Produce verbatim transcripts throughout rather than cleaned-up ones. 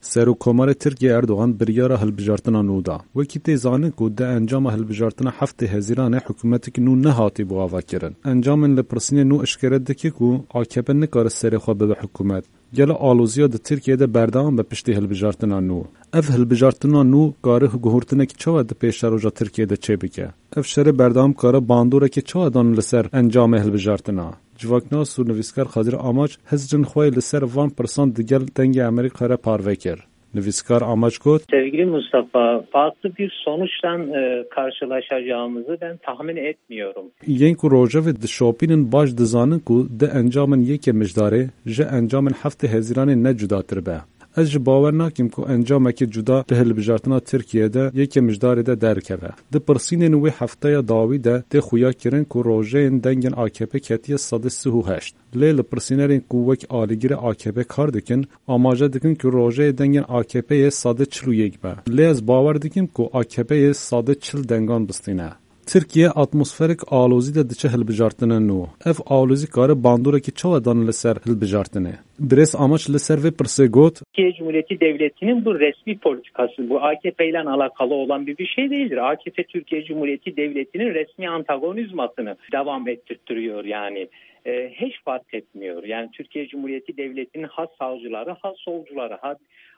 Serokkomarê Tirkiyê Erdogan biryara hilbijartina nû da. Wekî tê zanîn ku di encama hilbijartina heftê Hezîranê hikûmetek nû nehatîbû avakirin. Encamên li pirsînê nû eşkere dike ku A K P nikare serê xwe bibe hikûmet. Gelo aloziya di Tirkiyê de berdewam be piştî hilbijartina nû? Ev hilbijartina nû kare guhurtinek çawa di pêşeroja Tirkiyê de çêbike? Ev şerê berdewam kare bandoreke çawa dan li ser encamê hilbijartina? Civaknas û nivîskar Xadir Amaç hizrên xwe yê li ser van pirsan digel Dengê Amerîka re parve kir. Nivîskar Amaç got, Sevgili Mustafa, farklı bir sonuçtan e, karşılaşacağımızı ben tahmin etmiyorum. Yên ku rojevê dişopînin baş dizanin ku di encamên yekê Mijdarê ji encamên heftê Hezîranê ne cudatir be. Ez ji bawer nakim ku encamekî cuda di hilbijartina Tirkiyê de yekê Mijdarê de derkeve. Di pirsînên wê hefteya dawî de tê xuya kirin ku rojeyên dengên A K P ketiye sedê sih û heşt. Lê li pirsînerên ku wek alîgirê A K P kar dikin, amaje dikin ku rojeyê dengên A K P'yê sedê çil û yek be. Lê ez bawer dikim ku A K P'yê sedê çil dengan bistîne. Tirkiye atmosferek alozî de diçe hilbijartina nû. Ev alozî kare bandorekî çawa dan li ser hilbijartinê? Birêz Amaç li ser vê pirsê got, Türkiye Cumhuriyeti Devleti'nin bu resmi politikası, bu A K P ile alakalı olan bir, bir şey değildir. A K P Türkiye Cumhuriyeti Devleti'nin resmi antagonizmasını devam ettirtiyor yani. E, hiç fark etmiyor. Yani Türkiye Cumhuriyeti Devleti'nin ha sağcıları, ha solcuları, ha,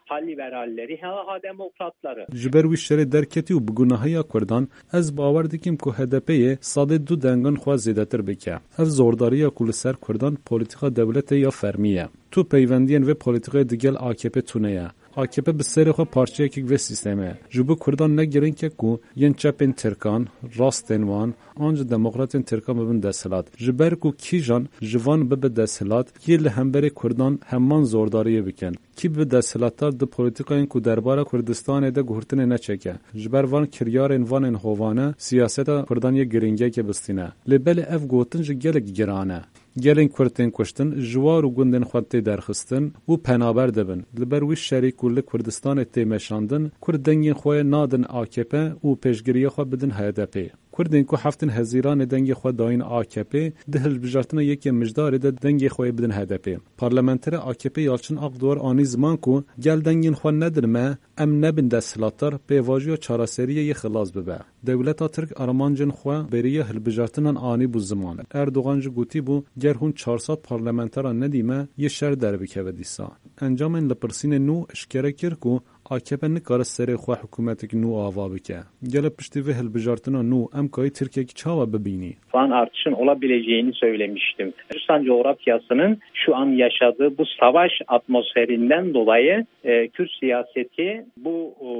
ha liberalleri, ha, ha demokratları. Ji ber wî şerê derketî û bi gunahiya Kurdan, ez bawer dikim ku H D P'yê sedê du dengan xwe zêdetir bike. Ev zordariya ku li ser Kurdan polîtîka dewletê ya fermî ye. Tu peywendiyên vê polîtîkayê digel A K P tune ye. A K P bi serê xwe parçeyekek vê sîstemê ye. Ji bo Kurdan ne girîng e ku yên çepên Tirkan, rastên wan, an jî demokratên Tirkan bibin desthilat. Ji ber ku kîjan ji van bibe desthilat, yê li hemberê Kurdan heman zordariyê bikin. Kî bibe desthilatdar di polîtîkayên ku derbara Kurdistanê de guhurtinê neçêke. Ji ber van kiryarên vanên hovane, siyaseta Kurdan yê girîngiyeke bistîne. Lê belê ev gotin jî gelek giran e. Gelên Kurd tên kuştin, ji war û gundên xwe tê derxistin û penaber dibin. Li ber wî şerî ku li Kurdistanê tê meşandin, Kurd dengên xwe nadin A K P û pêşgiriya xwe bidin H D P. Kurdên ku heftên Hezîranê dengê xwe dayîn A K P, di hilbijartina yekê Mijdarê de dengê xwe yê bidin H D P. Parlamenterê A K P Yalçın Akdoğar anî ziman ku gel dengên xwe nedin me, em nebin desthilatdar, pêvajoya çareseriyê yê xilas bibe. Dewleta Tirk armancên xwe beriya hilbijartinan anîbû ziman. Erdogan jî gotîbû, ger hûn çar sed parlamenteran nedî me, yê şer derbikeve dîsa. Encamên lipirsînê nû eşkere kir ku A K P nikare serê xwe hikûmetek nû ava bike. Gelo piştî vê hilbijartina nû em kayî Tirkiyek çawa bibînî? Van artışın olabileceğini söylemiştim. Kürdistan coğrafyasının şu an yaşadığı bu savaş atmosferinden dolayı e, Kürt siyaseti bu e,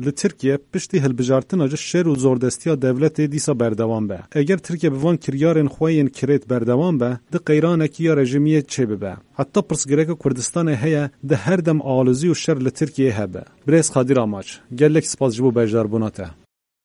Li Tirkiye piştî hilbijartina ji şer û zordestiya dewletê dîsa berdewam be. Eger Tirkiye bi van kiryarên xwe yên kirêt berdewam be, di qeyranekî ya rejîmiyê çêbibe. Heta pirsgirêka Kurdistanê heye, di her dem alozî û şer li Tirkiyeyê hebe. Birêz Xadir Amaç, gelek spas ji bo beşdarbûna te.